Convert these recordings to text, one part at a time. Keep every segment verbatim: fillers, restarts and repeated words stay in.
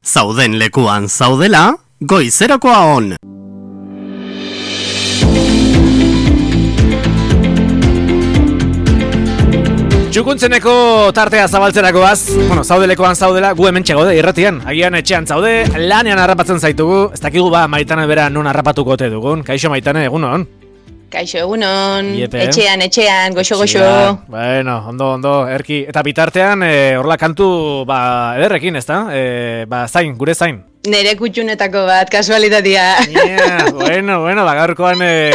Zauden lekuan zaudela, goizerakoa on. Txukuntzeneko tartea zabaltzerakoaz, bueno, zaudelekoan zaudela, gu hemen txegode irratian, agian etxean zaude, lanean harrapatzen zaitugu, ez dakigu ba Maitane bera non harrapatuko ote dugun, kaixo Maitane, egunon? Kaixo, egunon, etxean, etxean, goxo-goxo. Bueno, ondo, ondo, erki, eta bitartean, horla e, kantu, ba, ederrekin, ez da? E, ba, zain, gure zain. Nere kutxunetako bat, kasualitatea. Yeah, bueno, bueno, ba, gaurkoan e,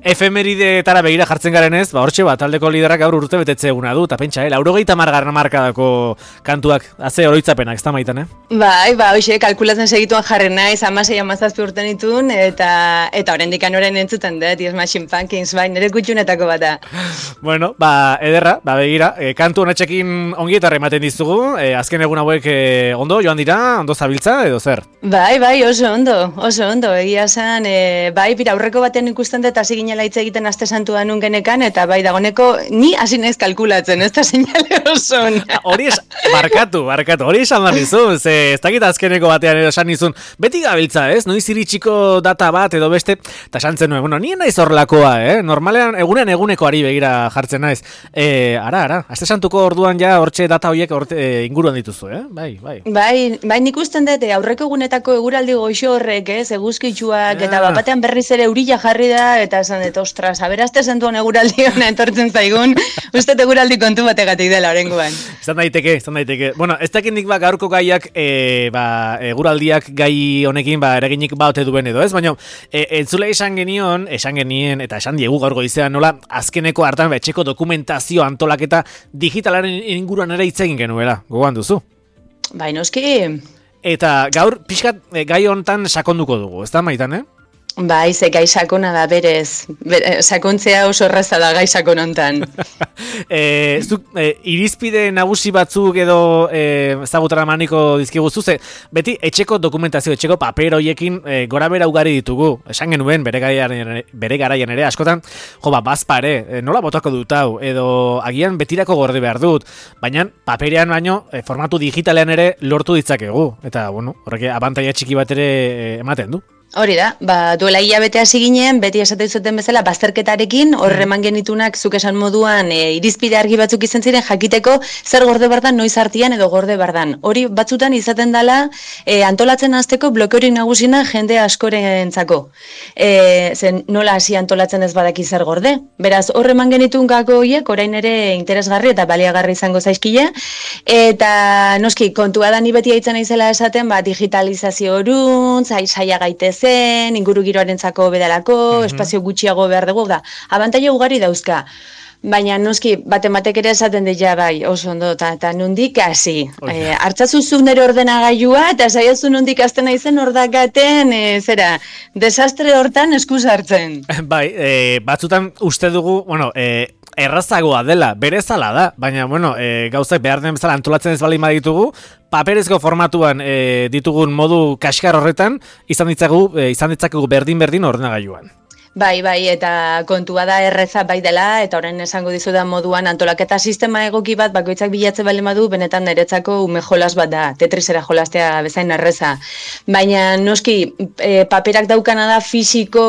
efemeridetara begira jartzen garen ez, ba, hortxe bat, taldeko liderak gaur urte betetze eguna du, eta pentsa, eh, laurogeita margarren markadako kantuak, haze oroitzapenak, ez da Maitan, eh? Bai, ba, hoxe, kalkulatzen segituan jarren naiz, amasei amazazpi urten itun, eta eta oraindik anoren entzuten dut, Yes Machine Pumpkins, bai, nere kutxunetako bata. Bueno, ba, ederra, ba, begira, e, kantu honetxekin ongietarra ematen dizugu, e, azken egun hauek e, ondo joan dira, ondo zabiltza, edo zer? Bai, bai, oso ondo, oso ondo, egia zen, e, bai, bira, aurreko batean ikusten dut, hasi ginela hitz egiten aste santua nun genekan, eta bai, dagoneko, ni hasi naiz kalkulatzen, ez da seinale oso. Hori es, barkatu, barkatu, hori esan da nizun, ze, ez dakit azkeneko batean esan nizun, beti gabiltza, ez, noiz iritsiko data bat edo beste, eta esan zenuen, bueno, nien naiz horrelakoa, eh, normalean, egunean eguneko ari begira jartzen naiz, e, ara, ara, aste santuko orduan ja, hortxe data horiek orte, e, inguruan dituzu, eh, bai, bai. Bai, bai, nik usten dut, aurreko egunetako eguraldi goxo horrek, ez, eguzkitsuak, eta bat batean berriz ere eurila jarri da, eta esan dut, ostras, aberazte zentuan eguraldi hona entortzen zaigun, uste eguraldi kontu bategatik dela orengoan. Izan daiteke, izan daiteke. Bueno, ez dakindik ba, gaurko gaiak, e, ba, eguraldiak gai honekin, ba, eraginik baute duen edo, ez? Baina, e, entzule esan genion, esan genien, eta esan diegu gaur goizean, nola, azkeneko hartan, betxeko dokumentazio antolaketa digitalaren inguruan ere hitz egin genuela, gogoan duzu? Bai, noski. Eta gaur, pixkat, gai hontan sakonduko dugu, ez da, Maitan, eh? Bai, ze gai sakona da berez. Bere, sakontzea oso erraza da gai sakon hontan. e, zuk, e, irizpide nagusi batzuk edo e, ezagutara maniko dizkiguzu, ze beti etxeko dokumentazio, etxeko paper hoiekin e, gora bera ugari ditugu. Esan genuen bere garaian, bere garaian ere, askotan, jo, ba, bazpare, e, nola botako dut hau, edo agian betirako gorde behar dut, baina paperean baino e, formatu digitalean ere lortu ditzakegu. Eta, bueno, horrek abantaia txiki bat ere e, ematen du. Hori da, ba, duela hilabete hasi ginen, beti esaten zuten bezala, bazterketarekin, horreman genitunak, zuk esan moduan, e, irizpide argi batzuk izan ziren, jakiteko zer gorde bardan, noiz artian edo gorde bardan. Hori batzutan izaten dela, e, antolatzen hasteko blokeorik nagusina jende askorentzako. E, zen nola hasi antolatzen ez badaki zer gorde. Beraz, horreman genitun gako horiek, orain ere interesgarri eta baliagarri izango zaizkile, eta noski, kontua da ni beti haitzen naizela esaten, ba, digitalizazio orun, zai, saia gaitez zen, inguru giroarentzako bedalako, mm-hmm. espazio gutxiago behar dugu, da, abantaila ugari dauzka. Baina noski, batematek ere esaten dira bai, oso ondo, eta nondik hasi. E, hartzazuzun nire ordenagailua, eta saiazu nondik azten naizen ordakaten, e, zera, desastre hortan eskuz hartzen. Bai, e, batzutan uste dugu, bueno, e, errazagoa dela, berezala da, baina, bueno, e, gauzak behar den bezala antolatzen ez bali ditugu, paperezko formatuan e, ditugun modu kaskar horretan, izan ditzagu, e, izan ditzakegu berdin-berdin ordenagailuan. Bai, bai, eta kontua da erreza bai dela, eta orain esango dizudan moduan antolaketa sistema egoki bat bakoitzak bilatze bale badu, benetan niretzako ume jolas bat da, tetrisera jolastea bezain erreza. Baina noski, e, paperak daukana da fisiko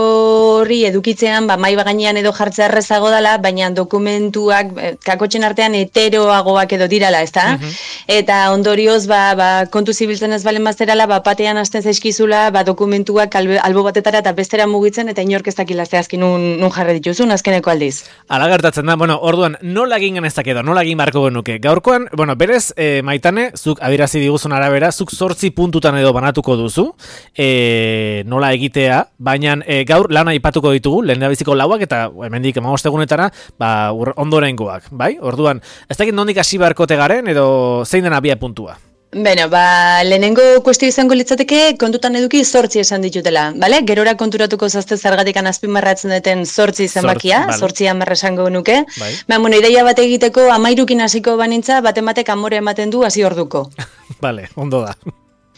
hori edukitzean, ba, mai bagainean edo jartzea errezago dela, baina dokumentuak, e, kakotxen artean heteroagoak edo dirala, ez da? Uh-huh. Eta ondorioz, ba, ba, kontu zibiltzen ez balen bazterala, ba, patean hasten zaizkizula, ba, dokumentuak albe, albo batetara eta bestera mugitzen, eta inork ez zehazki nun, nun jarre dituzun azkeneko aldiz. Ala gertatzen da, bueno, orduan, nola egin genezak edo, nola egin barko genuke. Gaurkoan, bueno, berez, e, Maitane, zuk adirazi diguzun arabera, zuk zortzi puntutan edo banatuko duzu, e, nola egitea, baina e, gaur lana aipatuko ditugu, lehen biziko lauak, eta hemendik emamostegunetara, ba, ondorengoak, bai? Orduan, ez dakit nondik hasi barkote garen, edo zein den abia puntua? Beno, ba, lehenengo kuestio izango litzateke kontutan eduki zortzi esan ditutela, bale? Gerora konturatuko zazte zergatikan azpimarratzen duten zortzi zenbakia, zortzi amarra esango nuke. Bai. Ba, bueno, ideia bat egiteko amairukin hasiko banintza, batematek amore ematen du hasi orduko. Bale, ondo da.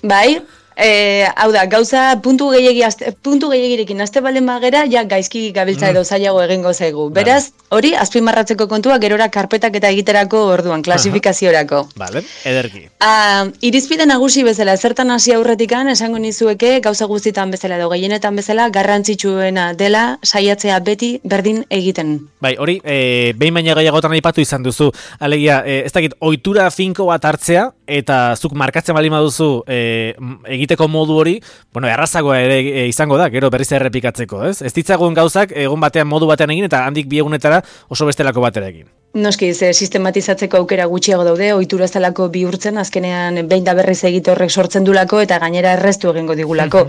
Bai, E, hau da, gauza puntu gehiagi azte, puntu gehiagirekin azte balen magera, ja gaizki gabiltza edo zailago egingo zaigu. Beraz, hori azpimarratzeko kontua gerora karpetak eta egiterako orduan, klasifikaziorako. Vale, ederki. Uh, irizpide nagusi bezala, zertan hasi aurretikan, esango nizueke gauza guztitan bezala edo gehienetan bezala, garrantzitsuena dela saiatzea beti berdin egiten. Bai, hori, e, behin baina gehiagotan aipatu izan duzu, alegia, e, ez dakit, ohitura finko bat hartzea, eta zuk markatzen bali maduzu e, egiteko modu hori, bueno, errazagoa ere e, izango da, gero berriz errepikatzeko, ez? Ez ditzagun gauzak egun batean modu batean egin eta handik bi egunetara oso bestelako batera egin. Noski, ze sistematizatzeko aukera gutxiago daude, ohitura zelako bihurtzen, azkenean behin da berriz egite horrek sortzen dulako eta gainera erreztu egingo digulako.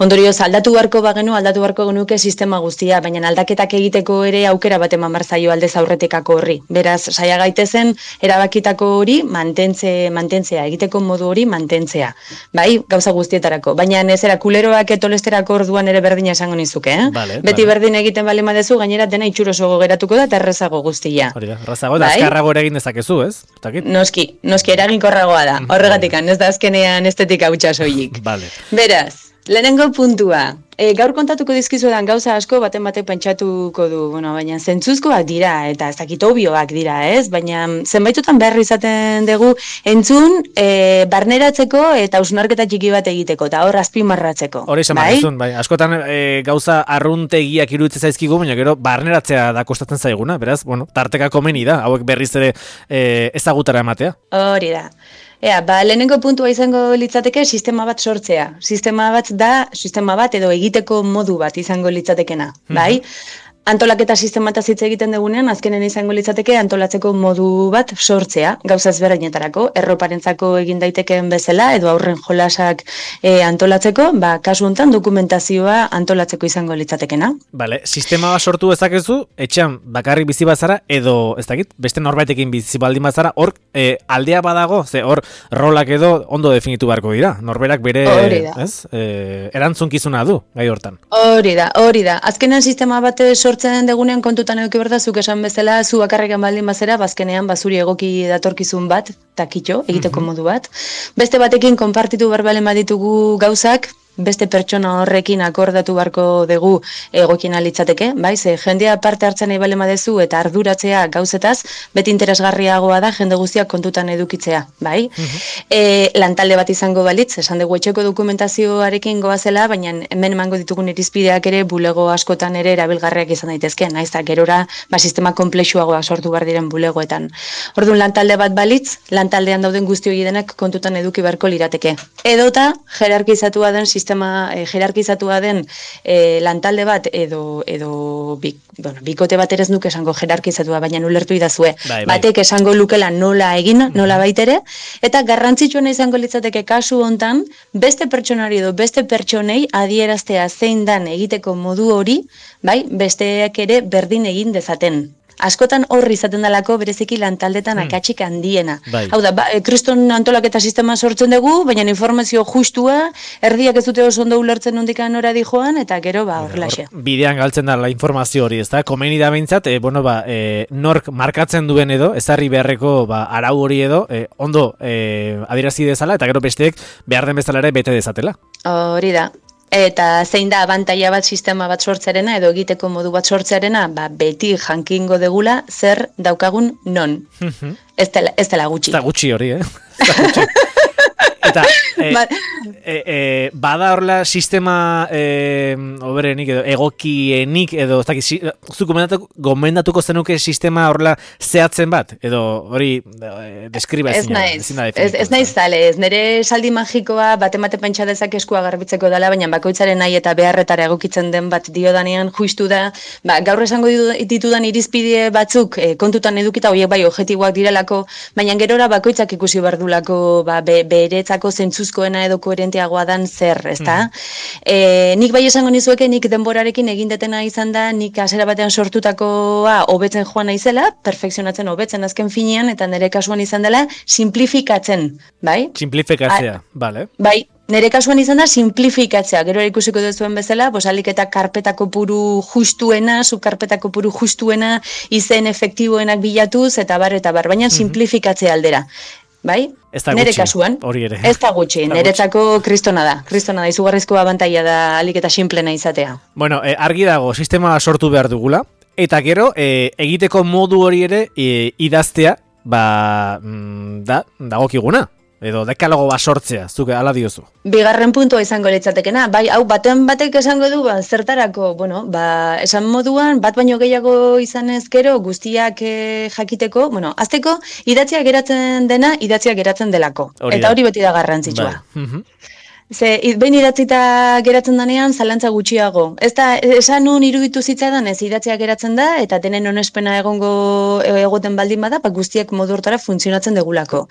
Ondorioz, aldatu beharko bagenu, aldatu beharko genuke sistema guztia, baina aldaketak egiteko ere aukera bat eman behar zaio aldez aurretikako horri. Beraz, saia gaitezen erabakitako hori mantentze, mantentzea, egiteko modu hori mantentzea. Bai, gauza guztietarako. Baina nezera kuleroak etolesterako orduan ere berdina esango nizuke, eh? Vale, Beti vale. berdin egiten bali madezu, gainera dena itxuroso geratuko da eta errezago guztia. Hori da, errazago da, azkarrago ere egin dezakezu, ez? Takit? Noski, noski eraginkorragoa da. Horregatik, ez da azkenean estetika hutsa soilik. Vale. Beraz, lehenengo puntua. E, gaur kontatuko dizkizuetan gauza asko baten batek pentsatuko du, bueno, baina zentzuzkoak dira eta ez dakit obioak dira, ez? Baina zenbaitutan behar izaten dugu entzun e, barneratzeko eta hausnarketa txiki bat egiteko eta hor azpimarratzeko. Hori esan bai? bai. Askotan e, gauza arruntegiak iruditzen zaizkigu, baina gero barneratzea da kostatzen zaiguna, beraz, bueno, tarteka komeni da, hauek berriz ere e, ezagutara ematea. Hori da. Ea, ba, lehenengo puntua izango litzateke sistema bat sortzea. Sistema bat da, sistema bat edo egiteko modu bat izango litzatekena, bai? Antolaketa sistemata hitz egiten dugunean, azkenen izango litzateke antolatzeko modu bat sortzea, gauza ezberdinetarako, erroparentzako egin daitekeen bezala, edo aurren jolasak e, antolatzeko, ba, kasu honetan dokumentazioa antolatzeko izango litzatekena. Vale, sistema bat sortu dezakezu, etxean bakarrik bizi bazara, edo, ez dakit, beste norbaitekin bizi baldin bazara, hor e, aldea badago, ze hor rolak edo ondo definitu beharko dira, norberak bere, ez, e, erantzunkizuna du, gai hortan. Hori da, hori da, azkenean sistema bat sortzen degunean kontutan eduki behar da, zuk esan bezala, zu bakarrekan baldin bazera, bazkenean bazuri egoki datorkizun bat, takitxo, egiteko mm-hmm. modu bat. Beste batekin konpartitu berbalen baditugu gauzak, beste pertsona horrekin akordatu beharko dugu egokien litzateke, bai, ze jendea parte hartzen nahi bale madezu eta arduratzea gauzetaz, beti interesgarriagoa da jende guztiak kontutan edukitzea, bai. Mm-hmm. E, lantalde bat izango balitz, esan dugu etxeko dokumentazioarekin goazela, baina hemen emango ditugun irizpideak ere bulego askotan ere erabilgarriak izan daitezke, naiz eta gerora ba, sistema komplexuagoa sortu behar diren bulegoetan. Orduan lantalde bat balitz, lantaldean dauden guzti hori denak kontutan eduki beharko lirateke. Edota, jerarkizatua den sistema sistema e, jerarkizatua den e, lantalde bat edo edo bik, bueno, bikote bat ere ez nuke esango jerarkizatua, baina ulertu idazue. Bai, bai. Batek esango lukela nola egin, nola baitere, eta garrantzitsuena izango litzateke kasu hontan beste pertsonari edo beste pertsonei adieraztea zein dan egiteko modu hori, bai, besteak ere berdin egin dezaten. Askotan horri izaten dalako bereziki lantaldetan hmm. akatsik handiena. Bai. Hau da, ba, kriston antolaketa sistema sortzen dugu, baina informazio justua, erdiak ez dute oso ondo ulertzen nondikan nora di joan, eta gero ba horrelaxe. Bidean galtzen da la informazio hori, ezta? Komeni da behintzat, e, bueno, ba, e, nork markatzen duen edo, ezarri beharreko ba, arau hori edo, e, ondo e, adierazi dezala, eta gero besteek behar den bezala ere bete dezatela. Hori da. Eta zein da abantaila bat sistema bat sortzarena edo egiteko modu bat sortzarena, ba, beti jankingo degula zer daukagun non. ez, dela, ez dela gutxi. Ez da gutxi hori, eh? Ez da gutxi. Eta, e, e, e, bada horrela sistema e, oberenik edo egokienik edo ez dakit, zu gomendatuko, gomendatuko zenuke sistema horrela zehatzen bat edo hori e, deskriba ezin da. Ez naiz, ez, ez naiz zale, ez nire saldi magikoa bate mate pentsa dezak eskua garbitzeko dela, baina bakoitzaren nahi eta beharretara egokitzen den bat diodanean justu da, ba, gaur esango ditudan irizpide batzuk e, kontutan edukita horiek bai objektiboak direlako, baina gerora bakoitzak ikusi bardulako ba, be, beretzako zentzuzkoena edo koherenteagoa dan zer, ezta? Mm. E, nik bai esango nizueke, nik denborarekin egin detena izan da, nik hasiera batean sortutakoa hobetzen joan naizela, perfekzionatzen hobetzen azken finean, eta nire kasuan izan dela, simplifikatzen, bai? Simplifikatzea, bale. Bai, nire kasuan izan da simplifikatzea, gero ikusiko duzuen bezala, pues alik eta karpetako puru justuena, zu karpetako puru justuena, izen efektiboenak bilatuz, eta bar, eta bar, baina simplifikatzea aldera. bai? Ez da Nere gutxi, kasuan, hori ere. ez da gutxi, niretzako kristona da. Kristona da, izugarrizko abantaila da alik eta simplena izatea. Bueno, eh, argi dago, sistema sortu behar dugula, eta gero, eh, egiteko modu hori ere eh, idaztea, ba, mm, da, dagokiguna. Edo dekalogo bat sortzea, zuke ala diozu. Bigarren puntua izango litzatekena, bai, hau baten batek esango du, ba, zertarako, bueno, ba, esan moduan, bat baino gehiago izan ezkero, guztiak e, jakiteko, bueno, azteko, idatzia geratzen dena, idatzia geratzen delako. Hori Eta da. hori beti da garrantzitsua. Bai. Mhm. Ze, behin idatzita geratzen danean, zalantza gutxiago. Ez da, esan nun iruditu zitzaidan, ez idatzia geratzen da, eta denen onespena egongo egoten baldin bada, ba, guztiak modu hortara funtzionatzen degulako.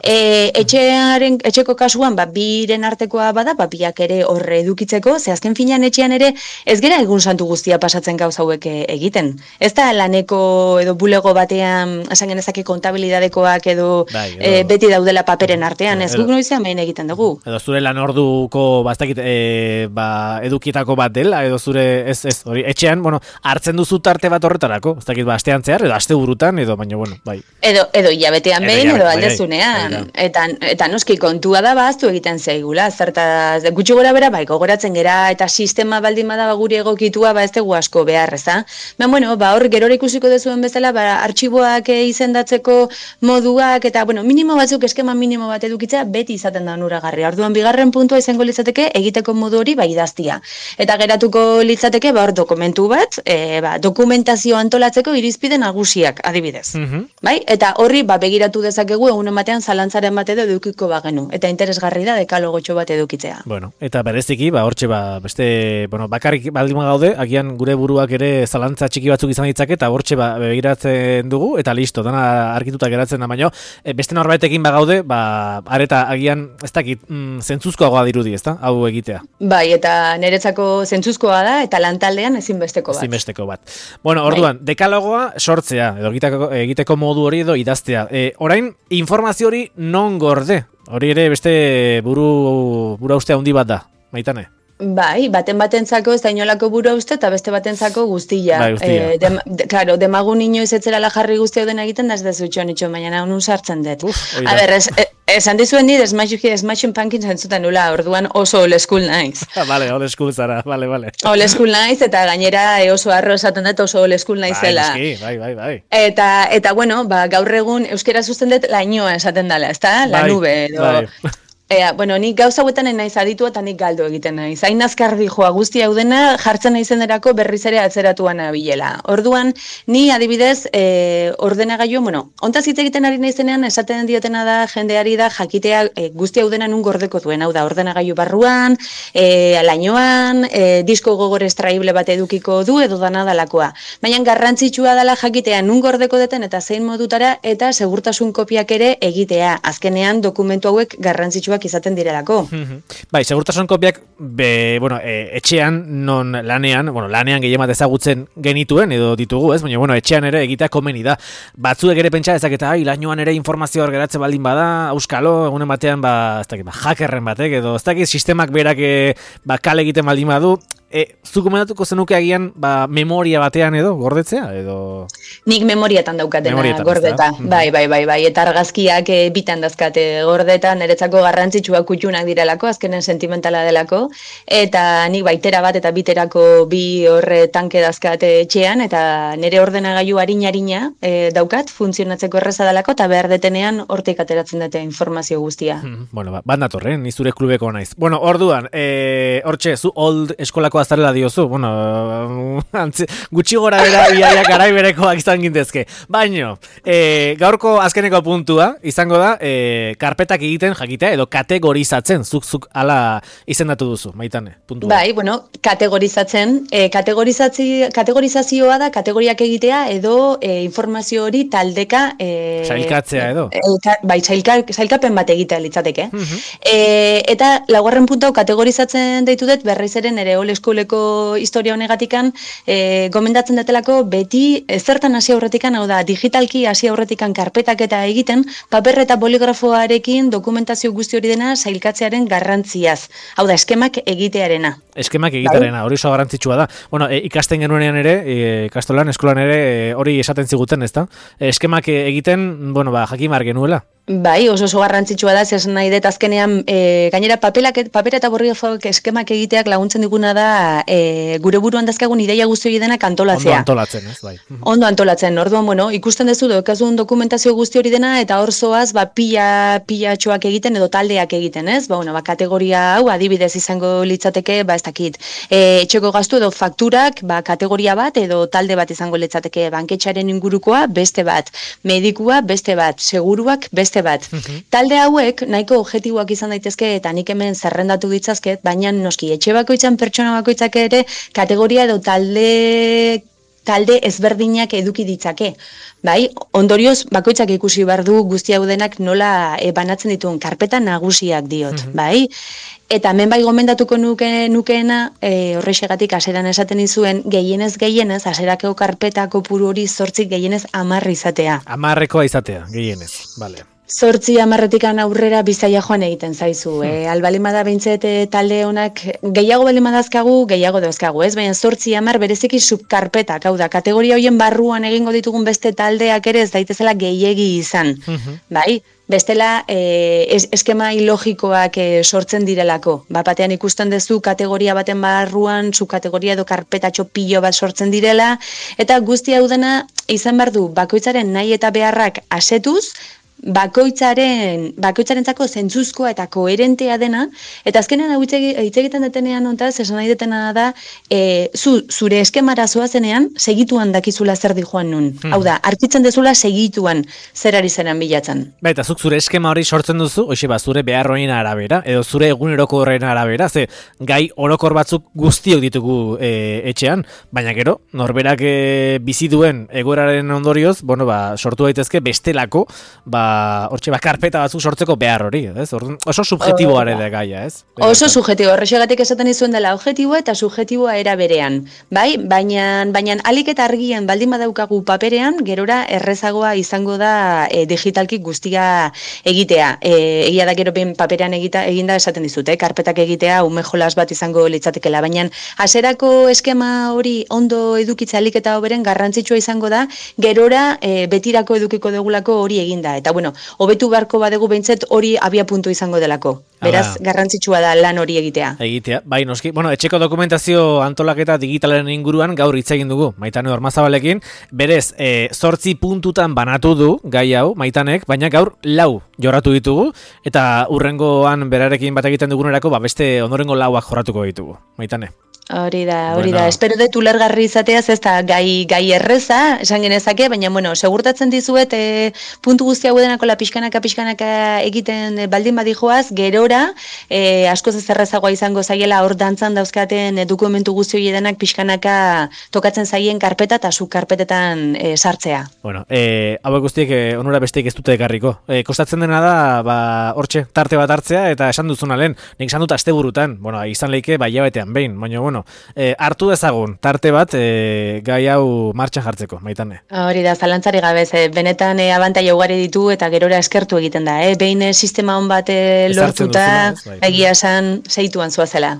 E, etxearen, etxeko kasuan, ba, biren artekoa bada, ba, biak ere horre edukitzeko, ze azken finean etxean ere, ez gera egun santu guztia pasatzen gauz hauek egiten. Ez da laneko edo bulego batean, esan genezake kontabilidadekoak edo, Bai, edo- e, beti daudela paperen artean, ez Edo- guk noizean behin egiten dugu. Edo zure lan orduko bastakit, e, ba, edukietako bat dela, edo zure, ez, ez, hori, etxean, bueno, hartzen duzu tarte bat horretarako, ez dakit, ba, astean zehar, edo aste burutan, edo, baina, bueno, bai. Edo, edo hilabetean Edo behin, hilabete, edo bai, aldezunean. bai, Eta, eta noski kontua da baztu egiten zaigula. Zertaz, gutxi gora bera, bai, gogoratzen gera, eta sistema baldin bada guri egokitua, ba ez dugu asko behar, eza. Ba, bueno, ba, hor gero ikusiko dezuen bezala, ba, artxiboak eh, izendatzeko moduak, eta, bueno, minimo batzuk, eskema minimo bat edukitzea, beti izaten da onuragarri. Orduan, bigarren puntua izango litzateke, egiteko modu hori, bai, idaztia. Eta geratuko litzateke, ba, hor dokumentu bat, e, ba, dokumentazio antolatzeko irizpide nagusiak, adibidez. Mhm. Bai? Eta horri ba, begiratu dezakegu egunen batean zalantzaren bat edo edukiko bagenu. Eta interesgarri da dekalogotxo bat edukitzea. Bueno, eta bereziki, ba, hortxe, ba, beste, bueno, bakarrik baldin gaude, agian gure buruak ere zalantza txiki batzuk izan ditzake, eta hortxe, ba, begiratzen dugu, eta listo, dana argituta geratzen da, baino, e, beste norbaitekin bagaude, ba, areta agian, ez dakit, mm, zentzuzkoagoa dirudi, ezta, hau egitea. Bai, eta niretzako zentzuzkoa da, eta lantaldean ezinbesteko bat. Ezinbesteko bat. Bueno, orduan, dekalogoa sortzea, edo egiteko, egiteko modu hori edo idaztea. E, orain, informazio hori non gorde? Hori ere beste buru, bura uste handi bat da, Maitane? Bai, baten batentzako ez da inolako burua uste, eta beste batentzako guztia. Bai, guztia. Eh, dem, de, claro, demagun inoiz etzerala jarri guztia den egiten, da ez da zutxon itxon, baina nun sartzen dut. Uf, hori A da. ber, es, e- esan dizuen nire Smashing Pumpkins entzuten nula, orduan oso old school naiz. Vale, old school zara, vale, vale. Old school naiz, eta gainera e, oso arro esaten dut oso old school naizela. Bai, noski, bai, bai, bai. Eta, eta bueno, ba, gaur egun euskera zuzten dut lainoa esaten dela, ezta? La Bai, nube, edo... bai. Ea, bueno, nik gauza hauetan naiz aditu eta nik galdu egiten naiz. Hain azkar dijoa guzti hau dena jartzen naizenerako berriz ere atzeratuan abilela. Orduan, ni adibidez, e, ordenagailu, bueno, ontaz hitz egiten ari naizenean esaten diotena da jendeari da jakitea e, guzti hau dena nun gordeko duen. Hau da, ordenagailu barruan, e, lainoan, e, disko gogor estraible bat edukiko du edo dana dalakoa. Baina garrantzitsua dela jakitea nun gordeko deten eta zein modutara eta segurtasun kopiak ere egitea. Azkenean dokumentu hauek garrantzitsuak izaten direlako. Bai, segurtasun kopiak, be, bueno, e, etxean, non lanean, bueno, lanean gehien bat ezagutzen genituen, edo ditugu, ez? Baina, bueno, etxean ere egitea komeni da. Batzuek ere pentsa ezaketa, ai, lainoan ere informazio hor geratzen baldin bada, auskalo, egunen batean, ba, ez dakit, ba, hackerren batek, edo ez dakit, sistemak berak, e, ba, kale egiten baldin badu, E, zu komendatuko zenuke agian ba, memoria batean edo gordetzea edo Nik memoriatan daukatena Memorietan, gordeta. ezta? Bai, bai, bai, bai. Eta argazkiak e, bitan dazkate gordeta, niretzako garrantzitsua kutxunak direlako, azkenen sentimentala delako. Eta nik baitera bat eta biterako bi horre tanke dazkate etxean, eta nire ordenagailu harina-harina e, daukat, funtzionatzeko erreza delako, eta behar detenean hortik ateratzen dute informazio guztia. Hmm, bueno, ba, bat natorren, ni zure klubeko naiz. Bueno, orduan, e, hortxe, zu old eskolako azarela diozu, bueno, antzi, gutxi gora bera biaiak garai berekoak izan gintezke. Baino, e, gaurko azkeneko puntua, izango da, e, karpetak egiten jakitea, edo kategorizatzen, zuk zuk ala izendatu duzu, Maitane, puntua. Bai, bueno, kategorizatzen, e, kategorizazio, kategorizazioa da kategoriak egitea edo e, informazio hori taldeka... E, Sailkatzea edo. E, ka, bai, sailka, sailkapen bat egitea litzateke. Mhm. E, eta laugarren puntu hau kategorizatzen deitu dut berriz ere nere old Schooleko historia honegatikan, e, gomendatzen datelako beti ezertan hasi aurretikan, hau da, digitalki hasi aurretikan karpetaketa egiten, paper eta boligrafoarekin dokumentazio guzti hori dena sailkatzearen garrantziaz. Hau da, eskemak egitearena. Eskemak egitearena, hori oso garrantzitsua da. Bueno, e, ikasten genuenean ere, e, ikastolan, eskolan ere, e, hori esaten ziguten, ezta? E, eskemak egiten, bueno, ba, jakimar genuela. Bai, oso oso garrantzitsua da, zer nahi dut azkenean, e, gainera papelak, papera eta boligrafoak eskemak egiteak laguntzen diguna da, e, gure buruan dazkagun ideia guzti hori denak antolatzea. Ondo antolatzen, ez, bai. Ondo antolatzen, orduan, bueno, ikusten dezu dokazun dokumentazio guzti hori dena, eta hor zoaz, ba, pila, pilatxoak egiten edo taldeak egiten, ez? Ba, bueno, ba, kategoria hau adibidez izango litzateke, ba, ez dakit, e, etxeko gastu edo fakturak, ba, kategoria bat edo talde bat izango litzateke, banketxaren ingurukoa beste bat, medikua beste bat, seguruak beste bat. Uh-huh. Talde hauek nahiko objektiboak izan daitezke eta nik hemen zerrendatu ditzazket, baina noski etxe bakoitzan pertsona bakoitzak ere kategoria edo talde talde ezberdinak eduki ditzake. Bai, ondorioz bakoitzak ikusi behar du guzti hau denak nola e, banatzen dituen karpeta nagusiak diot, uh-huh. bai? Eta hemen bai gomendatuko nuke, nukeena, e, horrexegatik aseran esaten izuen, gehienez gehienez, aserako karpeta kopuru hori zortzik gehienez amarri izatea. Amarrekoa izatea, gehienez, bale. Zortzi amarretikan aurrera bizaia joan egiten zaizu. Hmm. E, albalimada behintzet talde honak gehiago balimadazkagu, gehiago dauzkagu, ez? Baina zortzi amar bereziki subkarpetak, hau da, kategoria horien barruan egingo ditugun beste taldeak ere ez daitezela gehiegi izan. Hmm. Bai? Bestela, e, es, eskema ilogikoak e, sortzen direlako. Bapatean ikusten duzu kategoria baten barruan, subkategoria edo karpetatxo pilo bat sortzen direla, eta guzti hau dena izan behar du bakoitzaren nahi eta beharrak asetuz, bakoitzaren bakoitzarentzako zentzuzkoa eta koherentea dena, eta azkenean hau hitz egiten detenean hontaz, esan nahi detena da, e, zu, zure eskemara zoazenean, segituan dakizula zer di joan nun. Hmm. Hau da, arkitzen dezula segituan zer ari zeran bilatzen. Ba, eta zuk zure eskema hori sortzen duzu, hoxe ba, zure behar horien arabera, edo zure eguneroko horren arabera, ze gai orokor batzuk guztiok ditugu e, etxean, baina gero, norberak e, bizi duen egoeraren ondorioz, bueno, ba, sortu daitezke bestelako, ba, hortxe ba, karpeta batzuk sortzeko behar hori, ez? Oso subjetiboa ere da gaia, ez? Oso subjetibo, horrexegatik esaten izuen dela objetiboa eta subjetiboa era berean, bai? Baina, baina alik eta argian baldin badaukagu paperean, gerora errezagoa izango da e, digitalki guztia egitea. E, egia da gero ben paperean egita, eginda esaten dizute, eh? Karpetak egitea ume jolas bat izango litzatekela, baina hasierako eskema hori ondo edukitza alik eta hoberen garrantzitsua izango da, gerora e, betirako edukiko dugulako hori eginda. Eta bueno, hobetu beharko badegu behintzet hori abia puntu izango delako. Beraz, Ala. garrantzitsua da lan hori egitea. Egitea, bai noski. Bueno, etxeko dokumentazio antolaketa digitalaren inguruan gaur hitz egin dugu, Maitane Ormazabalekin. Berez, e, zortzi puntutan banatu du gai hau, Maitanek, baina gaur lau jorratu ditugu, eta urrengoan berarekin bat egiten dugunerako, ba, beste ondorengo lauak jorratuko ditugu. Maitane. Hori da, hori bueno. da. Espero dut ulergarri izateaz, ez da gai, gai erreza, esan genezake, baina, bueno, segurtatzen dizuet, e, puntu guzti hau denako la pixkanaka, pixkanaka egiten e, baldin badijoaz, gerora, e, askoz ez errezagoa izango zaiela hor dantzan dauzkaten e, dokumentu guzti hori denak pixkanaka tokatzen zaien karpeta eta zu karpetetan e, sartzea. Bueno, e, hauek guztiek e, onura besteik ez dute ekarriko. E, kostatzen dena da, ba, hortxe, tarte bat hartzea, eta esan duzuna lehen, nik esan dut asteburutan, bueno, izan leike, bai jabetean behin, baina, bueno, E, hartu dezagun, tarte bat e, gai hau martxan jartzeko, Maitane. Hori da, zalantzari gabe, e, benetan e, abantaila ugari ditu eta gerora eskertu egiten da. E, behin e, sistema hon bat e, lortuta, bai. Egia esan, seituan zuazela.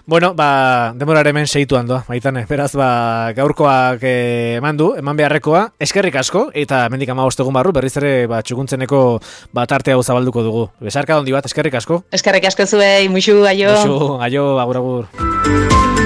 Bueno, ba, demorare hemen seituan doa, Maitane. Beraz, ba, gaurkoak e, eman du, eman beharrekoa, eskerrik asko, eta mendik amabost egun barru, berriz ere ba, txukuntzeneko ba, tarte hau zabalduko dugu. Besarka dondi bat, eskerrik asko. Eskerrik asko zuei, muxu, aio. Muxu, aio, agur, agur.